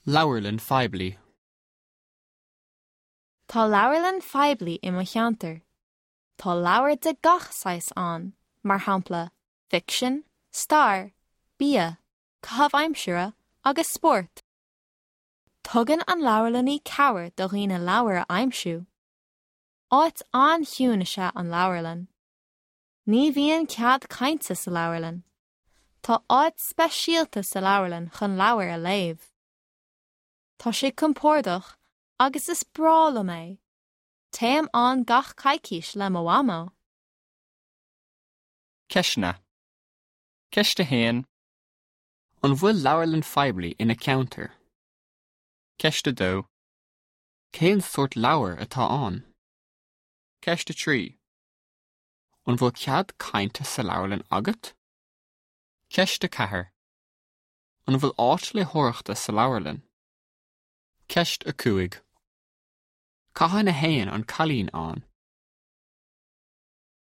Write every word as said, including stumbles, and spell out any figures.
Leabharlann phoiblí. Tá leabharlann phoiblí i mo cheantar. Tá leabhair de gach saghas ann, mar shampla, ficsean, stair, bia, caitheamh aimsire agus spórt. Tugann an leabharlannaí cabhair do dhaoine leabhar a aimsiú. Áit an-chiúin is ea an leabharlann. Ní bhíonn cead cainte sa leabharlann. Tá áit speisialta sa leabharlann chun leabhar a léamh. Tá sé compordach agus is breá liom é. Téim ann gach coicís le mo mhamó. Ceisteanna. Ceist a haon. An bhfuil leabharlann phoiblí ina ceantar? Ceist a dó. Cén sórt leabhar atá ann? Ceist a trí. An bhfuil cead cainte sa leabharlann agat? Ceist a ceathair. An bhfuil áit léitheoireachta sa leabharlann? Ceist a cúig. Cathain a théann an cailín ann?